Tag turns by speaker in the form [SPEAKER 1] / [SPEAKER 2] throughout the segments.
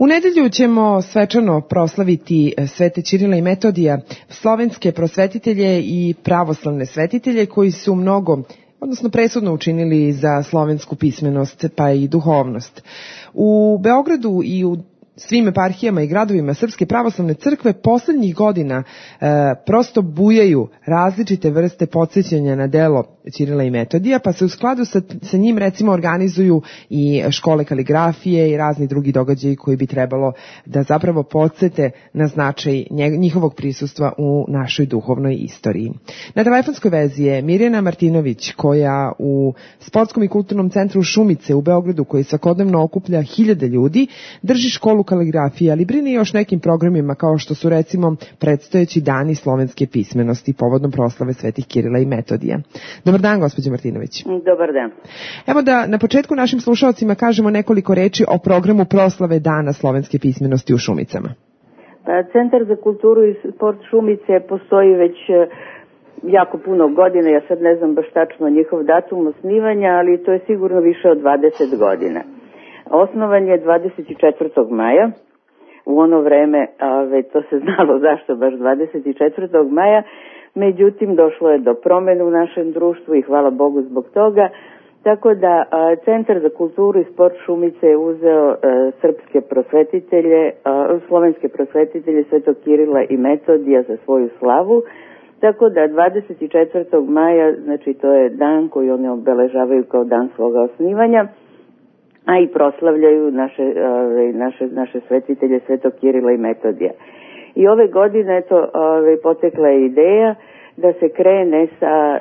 [SPEAKER 1] U nedelju ćemo svečano proslaviti Svete Ćirila i Metodija, slovenske prosvetitelje i pravoslavne svetitelje koji su presudno učinili za slovensku pismenost pa i duhovnost. U Beogradu i u svim eparhijama i gradovima Srpske pravoslavne crkve poslednjih godina prosto bujaju različite vrste podsjećanja na delo Ćirila i Metodija, pa se u skladu sa njim recimo organizuju i škole kaligrafije i razni drugi događaji koji bi trebalo da zapravo podsete na značaj njihovog prisustva u našoj duhovnoj istoriji. Na telefonskoj vezi je Mirjana Martinović, koja u Sportskom i kulturnom centru Šumice u Beogradu, koji svakodnevno okuplja hiljade ljudi, drži školu kaligrafije, ali brine još nekim programima kao što su recimo predstojeći dani slovenske pismenosti povodom proslave Svetih Kirila i Metodija. Dobar dan, gospođo Martinović.
[SPEAKER 2] Dobar dan.
[SPEAKER 1] Evo da na početku našim slušalcima kažemo nekoliko reči o programu proslave Dana slovenske pismenosti u Šumicama.
[SPEAKER 2] Centar za kulturu i sport Šumice postoji već jako puno godina, ja sad ne znam baš tačno njihov datum osnivanja, ali to je sigurno više od 20 godina. Osnovan je 24. maja, u ono vreme, to se znalo zašto baš 24. maja, međutim došlo je do promene u našem društvu i hvala Bogu zbog toga, tako da Centar za kulturu i sport Šumice je uzeo srpske prosvetitelje, slovenske prosvetitelje Svetog Kirila i Metodija za svoju slavu, tako da 24. maja, znači to je dan koji oni obeležavaju kao dan svoga osnivanja, a i proslavljaju naše svetitelje Svetog Kirila i Metodija. I ove godine potekla je ideja da se krene sa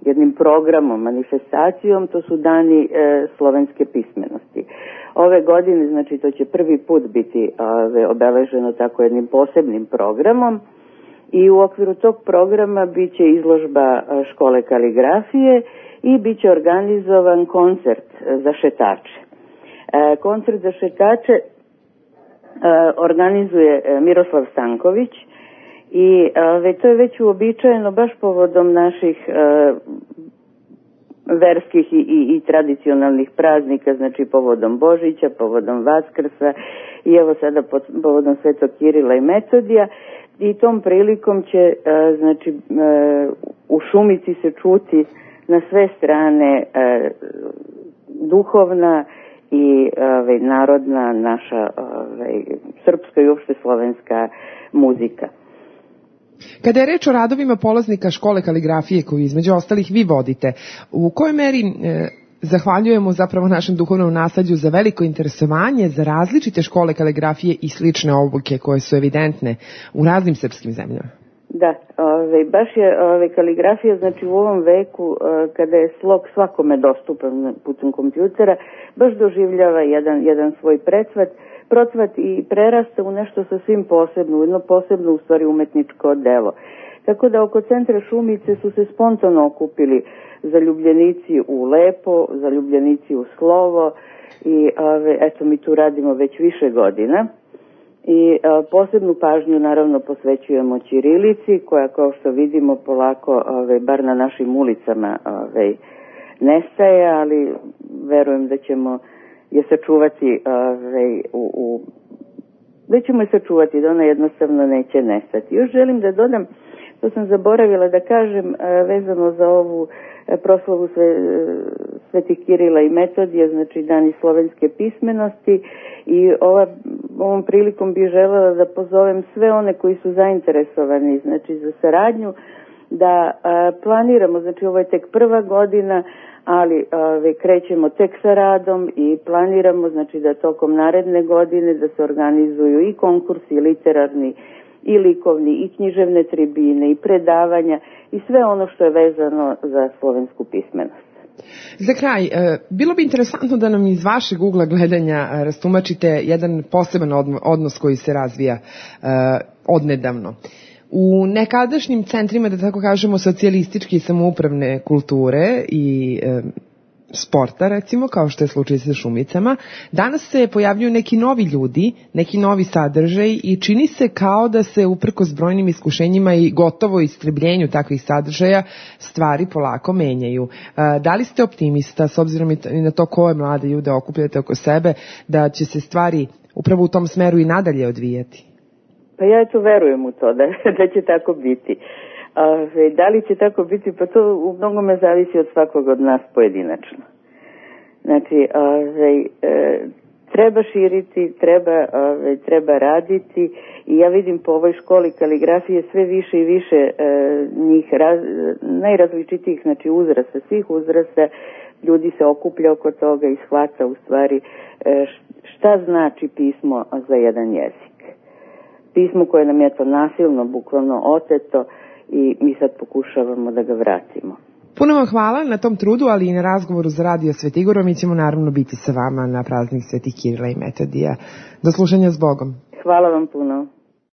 [SPEAKER 2] jednim programom, manifestacijom, to su dani slovenske pismenosti. Ove godine, znači to će prvi put biti obeleženo tako jednim posebnim programom i u okviru tog programa bit će izložba škole kaligrafije i bit će organizovan koncert za šetače. Koncert za šetače organizuje Miroslav Stanković i to je već uobičajeno baš povodom naših verskih i tradicionalnih praznika, znači povodom Božića, povodom Vaskrsa i evo sada povodom Svetog Kirila i Metodija. I tom prilikom će u Šumici se čuti na sve strane duhovna i narodna naša srpska i uopšte slovenska muzika.
[SPEAKER 1] Kada je reč o radovima polaznika škole kaligrafije koju između ostalih vi vodite, u kojoj meri zahvaljujemo zapravo našem duhovnom nasleđu za veliko interesovanje za različite škole kaligrafije i slične obuke koje su evidentne u raznim srpskim zemljama?
[SPEAKER 2] Da, baš je kaligrafija, znači u ovom veku kada je slog svakome dostupan putem kompjutera, baš doživljava jedan svoj procvat i prerasta u nešto sasvim posebno, u jedno posebno u stvari umetničko delo. Tako da oko centra Šumice su se spontano okupili zaljubljenici u lepo, zaljubljenici u slovo i eto mi tu radimo već više godina. I posebnu pažnju naravno posvećujemo ćirilici koja kao što vidimo polako bar na našim ulicama nestaje, ali verujem da ćemo je sačuvati da ćemo je sačuvati, da ona jednostavno neće nestati. Još želim da dodam, to sam zaboravila da kažem vezano za ovu proslavu Svetih Kirila i Metodija, znači dani slovenske pismenosti i ovom prilikom bih želela da pozovem sve one koji su zainteresovani znači za saradnju da planiramo, znači ovo je tek prva godina, ali krećemo tek sa radom i planiramo znači da tokom naredne godine da se organizuju i konkursi literarni i likovni i književne tribine i predavanja i sve ono što je vezano za slovensku pismenost.
[SPEAKER 1] Za kraj, bilo bi interesantno da nam iz vašeg ugla gledanja rastumačite jedan poseban odnos koji se razvija odnedavno. U nekadašnjim centrima, da tako kažemo, socijalističke i samoupravne kulture i sporta, recimo, kao što je slučaj sa Šumicama, danas se pojavljuju neki novi ljudi, neki novi sadržaj i čini se kao da se uprkos brojnim iskušenjima i gotovo istrebljenju takvih sadržaja stvari polako menjaju. Da li ste optimista, s obzirom i na to koje mlade ljude okupljate oko sebe, da će se stvari upravo u tom smeru i nadalje odvijati?
[SPEAKER 2] Pa ja to verujem u to, da će tako biti. Da li će tako biti, pa to u mnogome zavisi od svakog od nas pojedinačno. Znači, treba širiti, treba raditi i ja vidim po ovoj školi kaligrafije sve više i više njih najrazličitijih, znači uzrasta, svih uzrasta, ljudi se okuplja oko toga i shvata u stvari šta znači pismo za jedan jezik. Pismo koje nam je to nasilno, bukvalno oteto i mi sad pokušavamo da ga vratimo.
[SPEAKER 1] Puno vam hvala na tom trudu, ali i na razgovoru za Radio Svetigoro. Mi ćemo naravno biti sa vama na praznik Svetih Kirila i Metodija. Do slušanja s Bogom.
[SPEAKER 2] Hvala vam puno.